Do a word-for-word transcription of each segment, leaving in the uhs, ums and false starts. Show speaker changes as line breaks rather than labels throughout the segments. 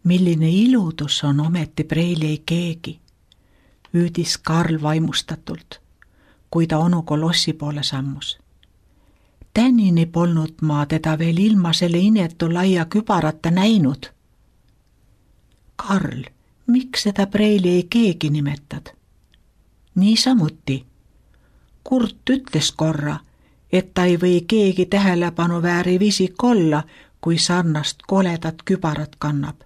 Milline ilutus on ometi preili ei keegi, hüüdis Karl vaimustatult, kui ta onu kolossi poole sammus. Tänini polnud ma teda veel ilma selle inetu laia kübarata näinud. Karl, miks seda preili ei keegi nimetad? Niisamuti. Kurt ütles korra, et ta ei või keegi tähelepanu vääriv isik olla, kui sarnast koledat kübarat kannab.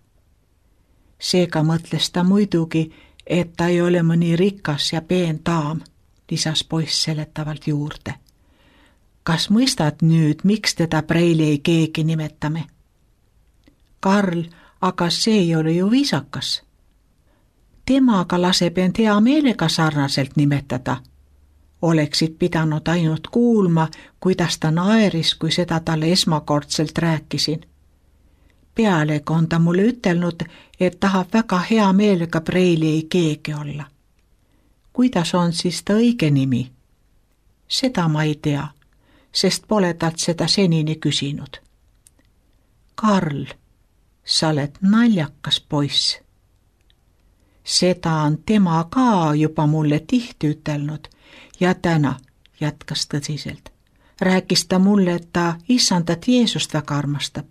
Seega mõtles ta muidugi, et ta ei ole mõni rikas ja peen daam, lisas poiss seletavalt juurde. Kas mõistad nüüd, miks teda preili ei keegi nimetame? Karl, aga see ei ole ju viisakas. Temaga laseb end hea meelega sarnaselt nimetada. Oleksid pidanud ainult kuulma, kuidas ta naeris, kui seda talle esmakordselt rääkisin. Pealegi on ta mulle ütelnud, et tahab väga hea meelega preili ei keegi olla. Kuidas on siis ta õige nimi? Seda ma ei tea, sest pole talt seda senini küsinud. Karl, sa oled naljakas poiss. Seda on tema ka juba mulle tihti ütelnud ja täna, jätkas tõsiselt, rääkis ta mulle, et ta issandat Jeesust väga armastab.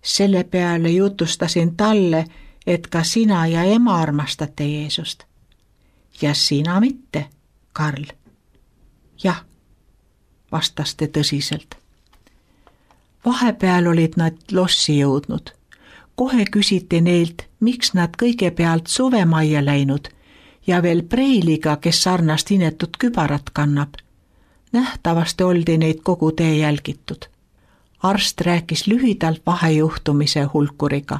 Selle peale jutustasin talle, et ka sina ja ema armastate Jeesust. Ja sina mitte, Karl. Jah, vastas te tõsiselt. Vahepeal olid nad lossi jõudnud. Kohe küsiti neilt, miks nad kõigepealt suvemajja läinud ja veel preiliga, kes sarnast inetut kübarat kannab. Nähtavasti oldi neid kogu tee jälgitud. Arst rääkis lühidalt vahejuhtumise hulkuriga,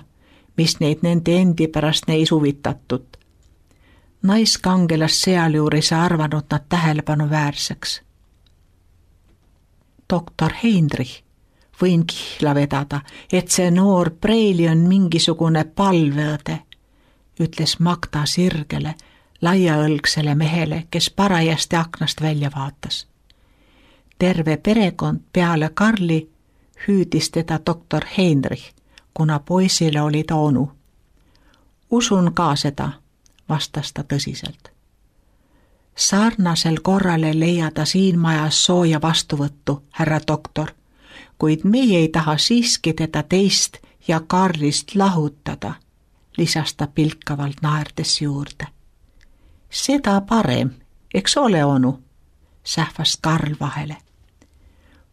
mis neid nende endi pärast neis huvitatud. Naiskangelas sealjuures arvanud nad tähelepanu väärseks. Doktor Heinrich, võin kihla vedada, et see noor preili on mingisugune palveõde, ütles Magda sirgele, laiaõlgsele mehele, kes parajasti aknast välja vaatas. Terve perekond peale Karli hüüdis teda doktor Heinrich, kuna poisile oli ta onu. Usun ka seda, vastas ta tõsiselt. Sarnasel korrale leiada siin majas sooja vastuvõttu, härra doktor, kuid meie ei taha siiski teda teist ja Karlist lahutada, lisas ta pilkavalt naerdes juurde. Seda parem, eks ole onu, sähvas Karl vahele.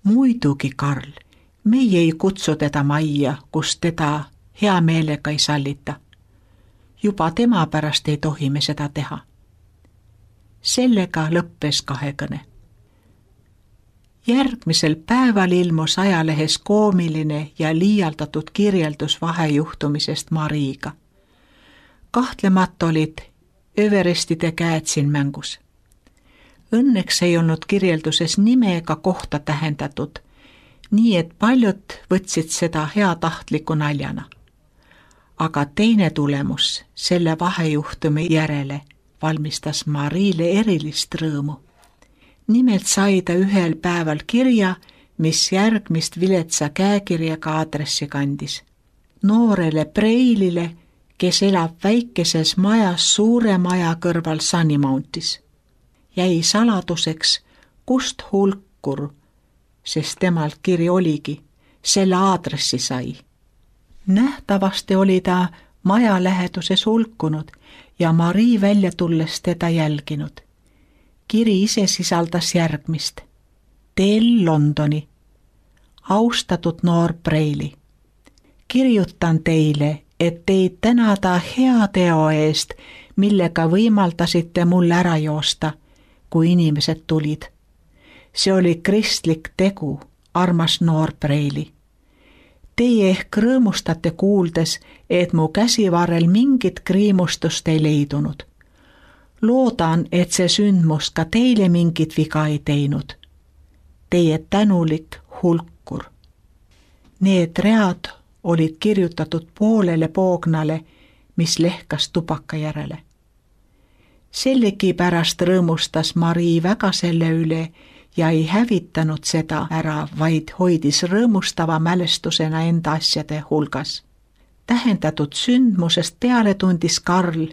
Muidugi, Karl, meie ei kutsu teda majja, kus teda hea meelega ei sallita. Juba tema pärast ei tohi me seda teha. Sellega lõppes kahekõne. Järgmisel päeval ilmus ajalehes koomiline ja liialdatud kirjeldus vahejuhtumisest Mariiga. Kahtlemata olid Everestide käed siin mängus. Õnneks ei olnud kirjelduses nime ega kohta tähendatud, nii et paljud võtsid seda heatahtliku naljana. Aga teine tulemus selle vahejuhtumi järele valmistas Mariile erilist rõõmu. Nimelt sai ta ühel päeval kirja, mis järgmist viletsa käekirjaga aadressi kandis. Noorele preilile, kes elab väikeses majas suure maja kõrval Sunny Mountis. Jäi saladuseks, kust hulkur, sest temalt kiri oligi, selle aadressi sai. Nähtavasti oli ta maja läheduses hulkunud ja Marii välja tulles teda jälginud. Kiri ise sisaldas järgmist. Teel Londoni. Austatud noor preili. Kirjutan teile, et teid tänada hea teo eest, millega võimaldasite mul ära joosta, kui inimesed tulid. See oli kristlik tegu, armas noor preili. Teie ehk rõõmustate kuuldes, et mu käsivarrel mingit kriimustust ei leidunud. Loodan, et see sündmus ka teile mingit viga ei teinud. Teie tänulik hulkur. Need read olid kirjutatud poolele poognale, mis lehkas tubaka järele. Sellegi pärast rõõmustas Marii väga selle üle ja ei hävitanud seda ära, vaid hoidis rõõmustava mälestusena enda asjade hulgas. Tähendatud sündmusest peale tundis Karl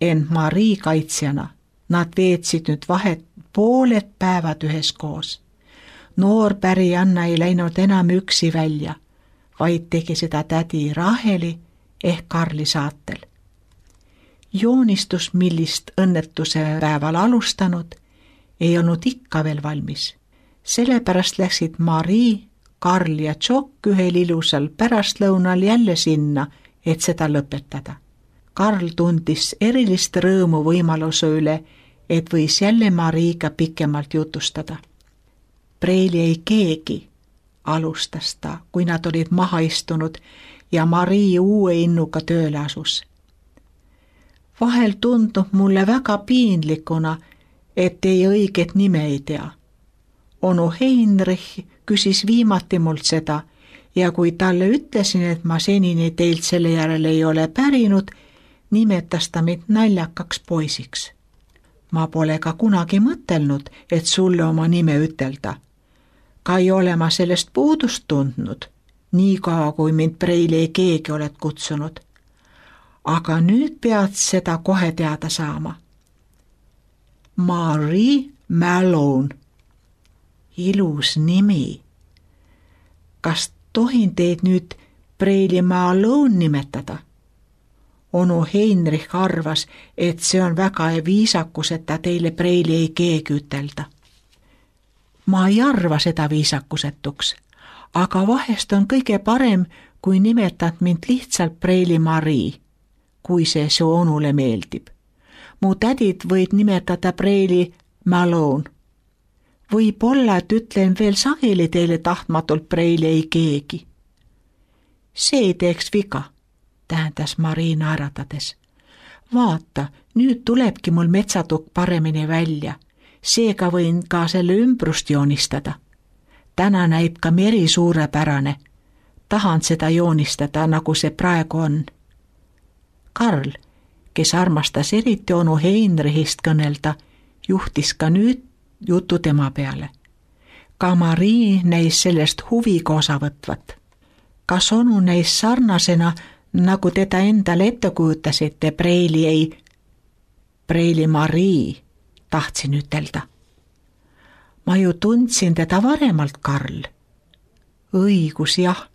end Marii kaitsjana. Nad veetsid nüüd vahet pooled päevad üheskoos. Noor pärijanna ei läinud enam üksi välja, vaid tegi seda tädi Raheli ehk Karli saatel. Joonistus, millist õnnetuse päeval alustanud, ei olnud ikka veel valmis. Sellepärast läksid Marii, Karl ja Tšokk ühel ilusal pärastlõunal jälle sinna, et seda lõpetada. Karl tundis erilist rõõmu võimaluse üle, et võis jälle Mariiga pikemalt jutustada. Preili ei keegi, alustas ta, kui nad olid maha istunud ja Marii uue innuga tööle asus. Vahel tundub mulle väga piinlikuna, et ei õiget nime ei tea. Onu Heinrich küsis viimati mult seda ja kui talle ütlesin, et ma senini teilt selle järele ei ole pärinud, nimetas ta mind naljakaks poisiks. Ma pole ka kunagi mõtelnud, et sulle oma nime ütelda. Ka ei ole ma sellest puudust tundnud, nii kaua kui mind Preili ei keegi oled kutsunud. Aga nüüd pead seda kohe teada saama. Marie Malone. Ilus nimi. Kas tohin teid nüüd Preili Malone nimetada? Onu Heinrich arvas, et see on väga viisakus, et ta teile Preili ei keegi ütelda. Ma ei arva seda viisakusetuks, aga vahest on kõige parem, kui nimetad mind lihtsalt Preili Marii, kui see su onule meeldib. Mu tädid võid nimetada Preili Malone. Võib-olla, et ütlen veel sageli teile tahtmatult Preili ei keegi. See ei teeks viga, tähendas Marii naeratades. Vaata, nüüd tulebki mul metsatukk paremini välja. Seega võin ka selle ümbrust joonistada. Täna näib ka meri suurepärane. Tahan seda joonistada, nagu see praegu on. Karl, kes armastas eriti onu Heinrichist kõnelda, juhtis ka nüüd jutu tema peale. Ka Marii näis sellest huviga osa võtvat. Kas onu näis sarnasena, nagu teda endale ette kujutasite, Preili ei... Preili Marii, tahtsin ütelda. Ma ju tundsin teda varemalt, Karl. Õigus, jah,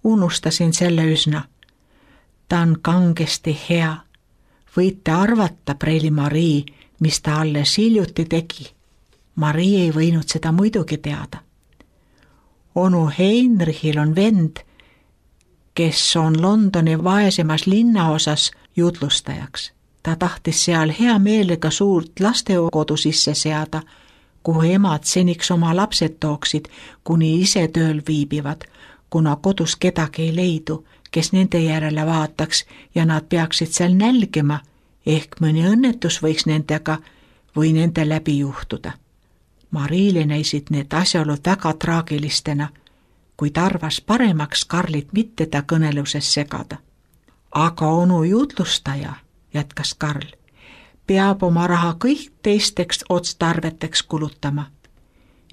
unustasin selle üsna. Ta on kangesti hea. Võite arvata, Preili Marii, mis ta alles hiljuti tegi. Marii ei võinud seda muidugi teada. Onu Heinrichil on vend, kes on Londoni vaesemas linnaosas jutlustajaks. Ta tahtis seal hea meelega suurt lastekodu sisse seada, kuhu emad seniks oma lapsed tooksid, kuni ise tööl viibivad, kuna kodus kedagi ei leidu, kes nende järele vaataks ja nad peaksid seal nälgima, ehk mõni õnnetus võiks nendega või nende läbi juhtuda. Mariile näisid need asjaolud väga traagilistena, kuid arvas paremaks Karlit mitte ta kõneluses segada. Aga onu jutlustaja, jätkas Karl, peab oma raha kõik teisteks otstarveteks kulutama.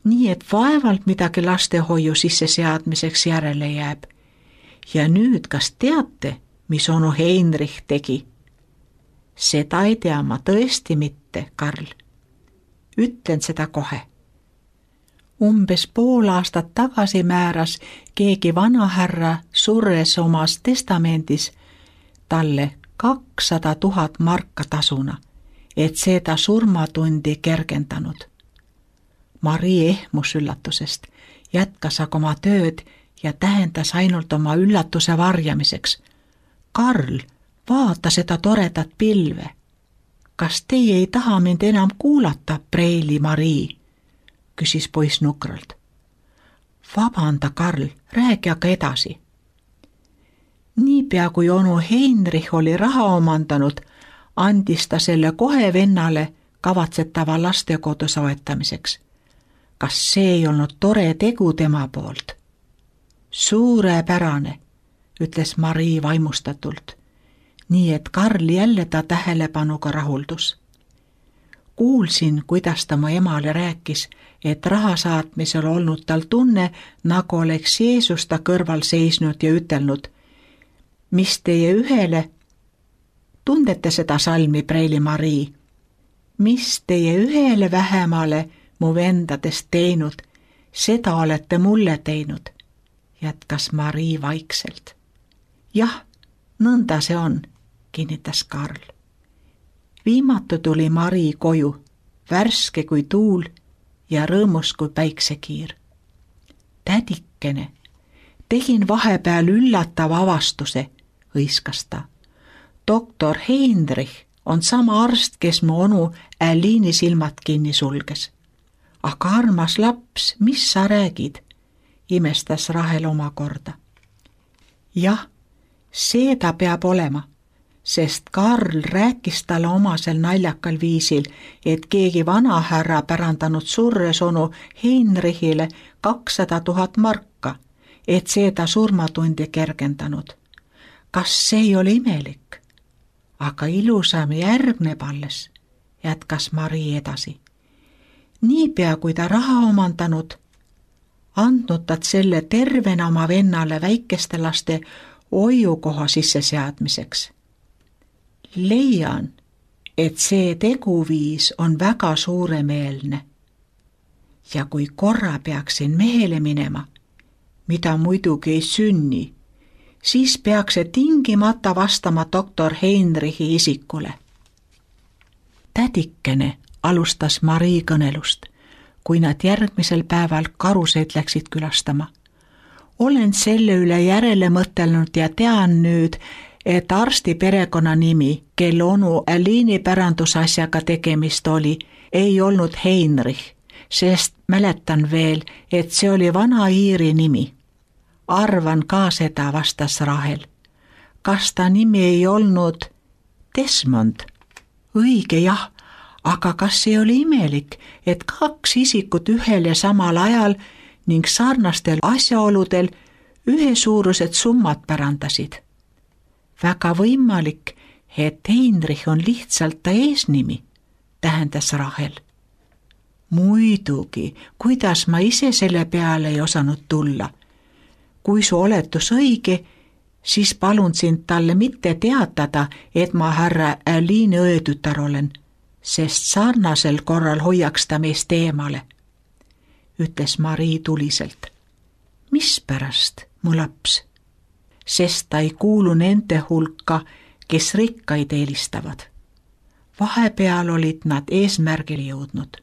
Nii et vaevalt midagi lastehoiu sisseseadmiseks järele jääb. Ja nüüd, kas teate, mis onu Heinrich tegi? Seda ei tea ma tõesti mitte, Karl. Ütlen seda kohe. Umbes pool aastat tagasi määras keegi vanahärra surres omas testamendis talle kakssada tuhat marka tasuna, et seda surmatundi kergendanud. Marii ehmus üllatusest, jätkas aga oma tööd ja tähendas ainult oma üllatuse varjamiseks. Karl, vaata seda toredat pilve. Kas teie ei taha mind enam kuulata, Preili Marii? Küsis poiss nukralt. Vabanda, Karl, räägi aga edasi. Niipea kui onu Heinrich oli raha omandanud, andis ta selle kohe vennale kavatsetava lastekodu soetamiseks. Kas see ei olnud tore tegu tema poolt? Suurepärane, ütles Marii vaimustatult, nii et Karl jälle ta tähelepanuga rahuldus. Kuulsin, kuidas ta mu emale rääkis, et raha saatmisel olnud tal tunne, nagu oleks Jeesus ta kõrval seisnud ja ütelnud, mis teie ühele, tundete seda salmi, Preili Marii, mis teie ühele vähemale mu vendadest teinud, seda olete mulle teinud, jätkas Marii vaikselt. Jah, nõnda see on, kinnitas Karl. Viimatu tuli Marii koju, värske kui tuul ja rõõmus kui päiksekiir. Tädikene, tegin vahepeal üllatava avastuse, hõiskas ta. Doktor Heinrich on sama arst, kes mu onu Aliini silmad kinni sulges. Aga armas laps, mis sa räägid? Imestas Rahel omakorda. Jah, see ta peab olema, sest Karl rääkis talle omasel naljakal viisil, et keegi vanahärra pärandanud surres onu Heinrichile kakssada tuhat marka, et see ta surmatundi kergendanud. Kas see ei ole imelik? Aga ilusam järgneb alles, jätkas Marii edasi. Niipea kui ta raha omandanud, andnud ta selle tervena oma vennale väikeste laste hoiukoha sisseseadmiseks. Leian, et see teguviis on väga suuremeelne. Ja kui korra peaksin mehele minema, mida muidugi ei sünni, siis peaks see tingimata vastama doktor Heinrichi isikule. Tädikene, alustas Marii kõnelust, kui nad järgmisel päeval karuseid läksid külastama. Olen selle üle järele mõtelnud ja tean nüüd, et arsti perekonna nimi, kel onu Aliini pärandusasjaga tegemist oli, ei olnud Heinrich, sest mäletan veel, et see oli vana Iiri nimi. Arvan ka seda, vastas Rahel. Kas ta nimi ei olnud Desmond? Õige jah, aga kas ei oli imelik, et kaks isikut ühel ja samal ajal ning sarnastel asjaoludel ühesuurused summad pärandasid? Väga võimalik, et Heinrich on lihtsalt ta eesnimi, tähendas Rahel. Muidugi, kuidas ma ise selle peale ei osanud tulla. Kui su oletus õige, siis palun sind talle mitte teatada, et ma härra Aliini õetütar olen, sest sarnasel korral hoiaks ta meist eemale, ütles Marii tuliselt. Mispärast, mu laps? Sest ta ei kuulu nende hulka, kes rikkaid eelistavad. Vahepeal olid nad eesmärgile jõudnud.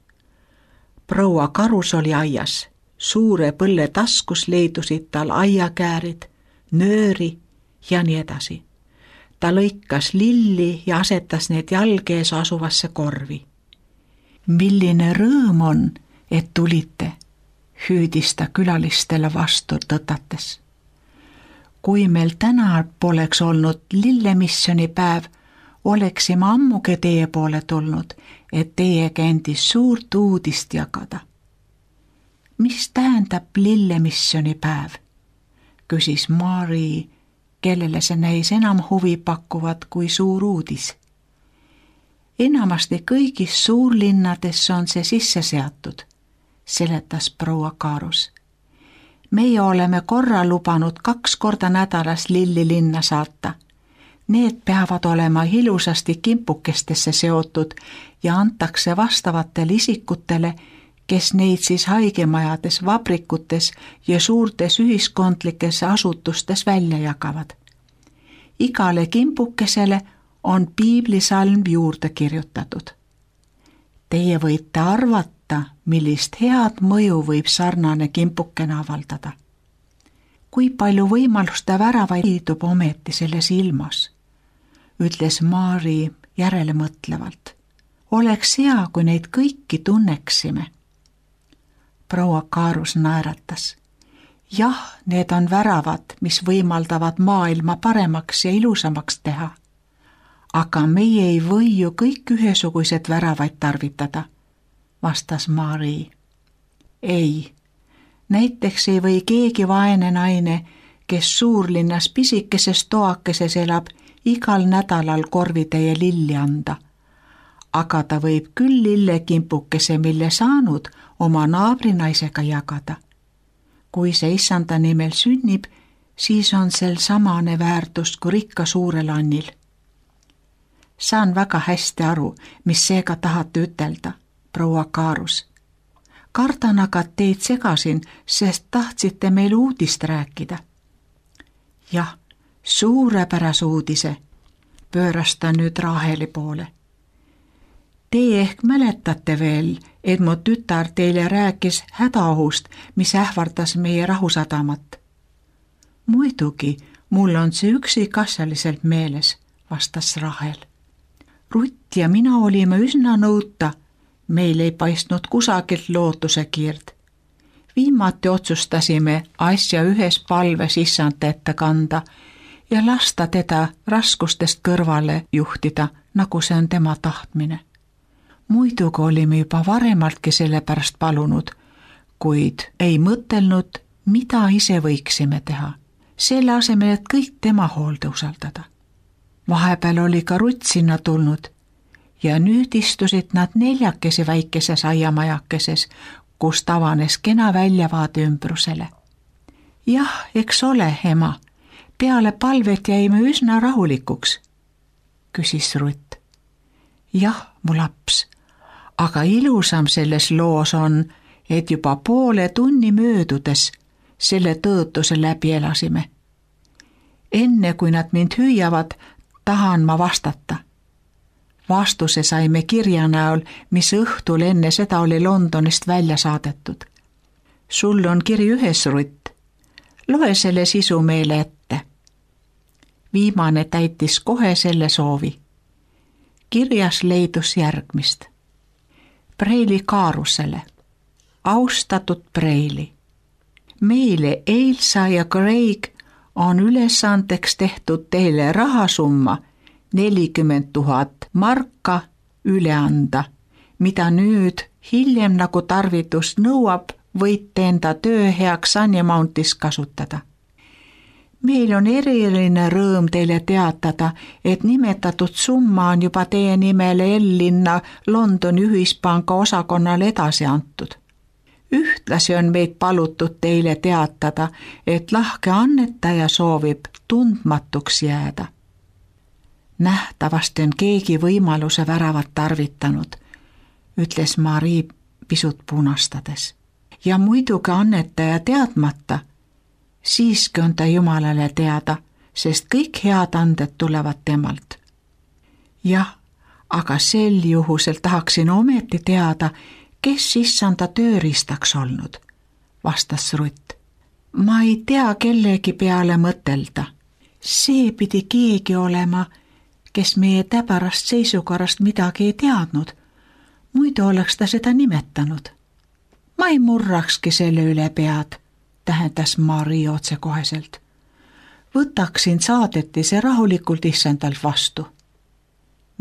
Proua Karus oli aias. Suure põlle taskus leidusid tal aiakäärid, nööri ja nii edasi. Ta lõikas lilli ja asetas need jalgees asuvasse korvi. Milline rõõm on, et tulite, hüüdis ta külalistele vastu tõtates. Kui meil täna poleks olnud lillemissiooni päev, oleksime ammugi teie poole tulnud, et teiega endis suurt uudist jagada. Mis tähendab lillemissiooni päev? Küsis Marii, kellele see näis enam huvi pakkuvat kui suur uudis. Enamasti kõigis suurlinnades on see sisse seatud, seletas proua Karus. Meie oleme korra lubanud kaks korda nädalas lilli linna saata. Need peavad olema ilusasti kimpukestesse seotud ja antakse vastavatele isikutele, kes neid siis haigemajades, vabrikutes ja suurtes ühiskondlikes asutustes välja jagavad. Igale kimpukesele on piiblisalm juurde kirjutatud. Teie võite arvata, millist head mõju võib sarnane kimpukene avaldada. Kui palju võimaluste väravaid liidub ometi selles ilmas, ütles Marii järele mõtlevalt. Oleks hea, kui neid kõiki tunneksime. Proua Karus naeratas. Jah, need on väravad, mis võimaldavad maailma paremaks ja ilusamaks teha. Aga meie ei või ju kõik ühesugused väravaid tarvitada, vastas Marii. Ei, näiteks ei või keegi vaene naine, kes suurlinnas pisikeses toakeses elab, igal nädalal korvitäie lilli anda. Aga ta võib küll lillekimpukese, mille saanud, oma naabrinaisega jagada. Kui see issanda nimel sünnib, siis on sel samane väärtus kui rikka suurel annil. Saan väga hästi aru, mis seega tahate ütelda, proua Kaarus. Kardan aga teid segasin, sest tahtsite meil uudist rääkida. Jah, suurepärase uudise, pööras ta nüüd Raheli poole. Teie ehk mäletate veel, et mu tütar teile rääkis hädaohust, mis ähvardas meie rahusadamat. Muidugi, mul on see üksikasjaliselt meeles, vastas Rahel. Rutt ja mina olime üsna nõuta, meil ei paistnud kusagilt lootuse kiird. Viimati otsustasime asja ühes palves issand ette kanda ja lasta teda raskustest kõrvale juhtida, nagu see on tema tahtmine. Muidugi olime juba varemaltki selle pärast palunud, kuid ei mõtelnud, mida ise võiksime teha, selle asemel, et kõik tema hoolde usaldada. Vahepeal oli ka Rutt sinna tulnud ja nüüd istusid nad neljakesi väikeses aiamajakeses, kus tavanes kena väljavaade ümbrusele. Jah, eks ole, ema, peale palvet jäime üsna rahulikuks, küsis Rutt. Jah, mu laps, aga ilusam selles loos on, et juba poole tunni möödudes selle tõotuse läbi elasime. Enne kui nad mind hüüavad, tahan ma vastata. Vastuse saime kirja näol, mis õhtul enne seda oli Londonist välja saadetud. Sul on kiri ühes, Rutt. Loe selle sisu meile ette. Viimane täitis kohe selle soovi. Kirjas leidus järgmist. Preili Kaarusele. Austatud Preili. Meile Eilsa ja Craig on ülesandeks tehtud teile rahasumma nelikümmend tuhat marka üle anda, mida nüüd hiljem nagu tarvitus nõuab, võite enda töö heaks Sunny Mountis kasutada. Meil on eriline rõõm teile teatada, et nimetatud summa on juba teie nimele L-linna Londoni ühispanga osakonnale edasi antud. Ühtlasi on meid palutud teile teatada, et lahke annetaja soovib tundmatuks jääda. Nähtavasti on keegi võimaluse väravat tarvitanud, ütles Marii pisut punastades. Ja muidugi annetaja teadmata, siiski on ta Jumalale teada, sest kõik head anded tulevad temalt. Jah, aga sel juhusel tahaksin ometi teada, kes issanda tööriistaks olnud, vastas Rutt. Ma ei tea kellegi peale mõtelda. See pidi keegi olema, kes meie täbarast seisukorrast midagi ei teadnud. Muidu oleks ta seda nimetanud. Ma ei murrakski selle üle pead, tähendas Marii otsekoheselt. Võtaksin saadetise rahulikult issandalt vastu.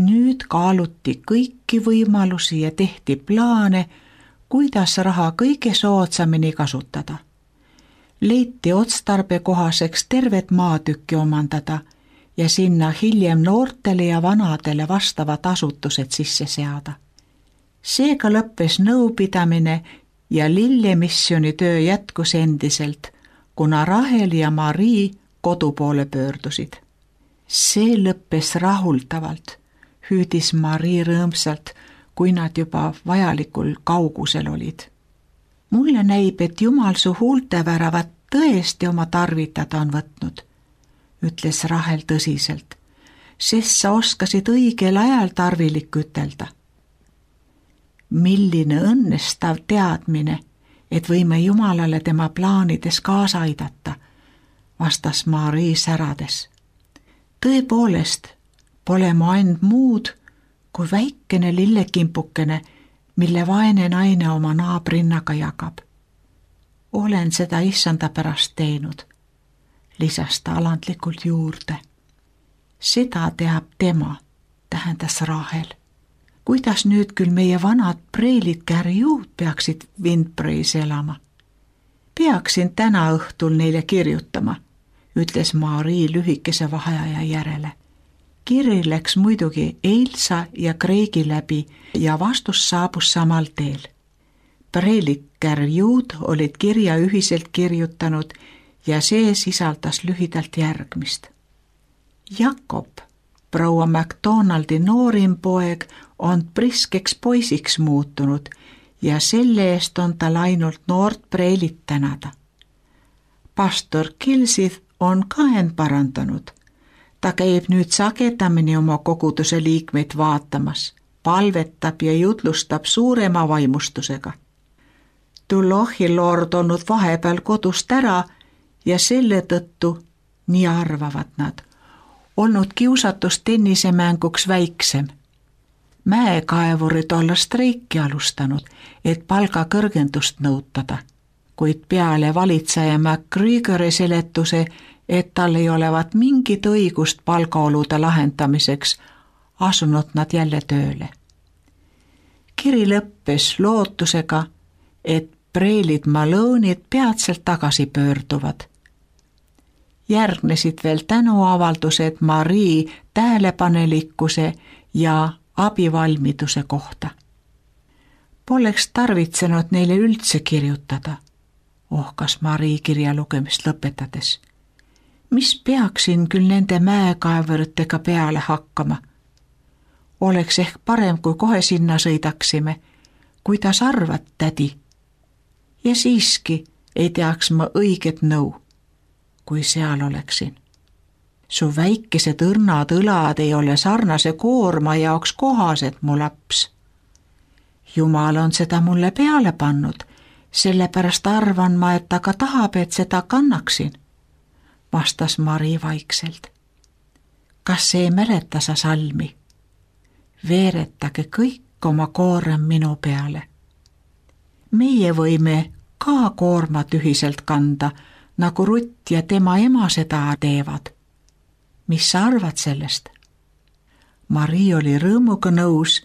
Nüüd kaaluti kõiki võimalusi ja tehti plaane, kuidas raha kõige soodsamini kasutada. Leiti otstarbekohaseks tervet maatükki omandada ja sinna hiljem noortele ja vanadele vastavad asutused sisse seada. Seega lõppes nõupidamine ja Lille-missiooni töö jätkus endiselt, kuna Rahel ja Marii kodu poole pöördusid. See lõppes rahuldavalt, hüüdis Marii rõõmsalt, kui nad juba vajalikul kaugusel olid. Mulle näib, et Jumal su huulteväravat tõesti oma tarvitada on võtnud, ütles Rahel tõsiselt, sest sa oskasid õigel ajal tarvilik ütelda. Milline õnnestav teadmine, et võime Jumalale tema plaanides kaasa aidata, vastas Marii särades. Tõepoolest, pole mu ainult muud kui väikene lillekimpukene, mille vaene naine oma naabrinnaga jagab. Olen seda issanda pärast teinud, lisas ta alandlikult juurde. Seda teab tema, tähendas Rahel. Kuidas nüüd küll meie vanad preilid kärjuud peaksid Windbrae'is elama? Peaksin täna õhtul neile kirjutama, ütles Marii lühikese vaheaja järele. Kiri läks muidugi Eilsa ja Craigi läbi ja vastus saabus samal teel. Preilid kärjuud olid kirja ühiselt kirjutanud ja see sisaldas lühidalt järgmist. Jakob, proua McDonaldi noorim poeg, on priskeks poisiks muutunud ja selle eest on tal ainult noort Breilit tänada. Pastor Kilsith on ka end parandanud. Ta käib nüüd sagedamini oma koguduse liikmeid vaatamas, palvetab ja jutlustab suurema vaimustusega. Tulohi lord olnud vahepeal kodust ära ja selle tõttu, nii arvavad nad, olnud kiusatus tennisemänguks väiksem. Mäekaevurid olla streiki alustanud, et palga kõrgendust nõutada, kuid peale valitseja MacGregori seletuse, et tal ei olevat mingit õigust palgaolude lahendamiseks, asunud nad jälle tööle. Kiri lõppes lootusega, et Breilid Malone'id peatselt tagasi pöörduvad. Järgnesid veel tänuavaldused Marie tähelepanelikkuse ja abivalmiduse kohta. Poleks tarvitsenud neile üldse kirjutada, ohkas Marie kirja lugemist lõpetades. Mis peaksin küll nende mäekaevuritega peale hakkama? Oleks ehk parem, kui kohe sinna sõidaksime. Kuidas arvad, tädi? Ja siiski ei teaks ma õiget nõu, kui seal oleksin. Su väikesed õrnad õlad ei ole sarnase koorma jaoks kohased, mu laps. Jumal on seda mulle peale pannud, sellepärast arvan ma, et ta ka tahab, et seda kannaksin, vastas Mari vaikselt. Kas see ei mäleta sa salmi? Veeretage kõik oma koorem minu peale. Meie võime ka koormat ühiselt kanda, nagu Rutt ja tema ema seda teevad. Mis sa arvad sellest? Mari oli rõõmuga nõus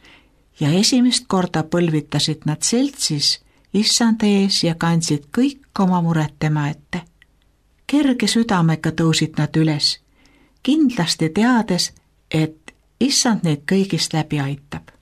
ja esimest korda põlvitasid nad seltsis issand ees ja kandsid kõik oma mured tema ette. Kerge südamega tõusid nad üles, kindlasti teades, et issand neid kõigist läbi aitab.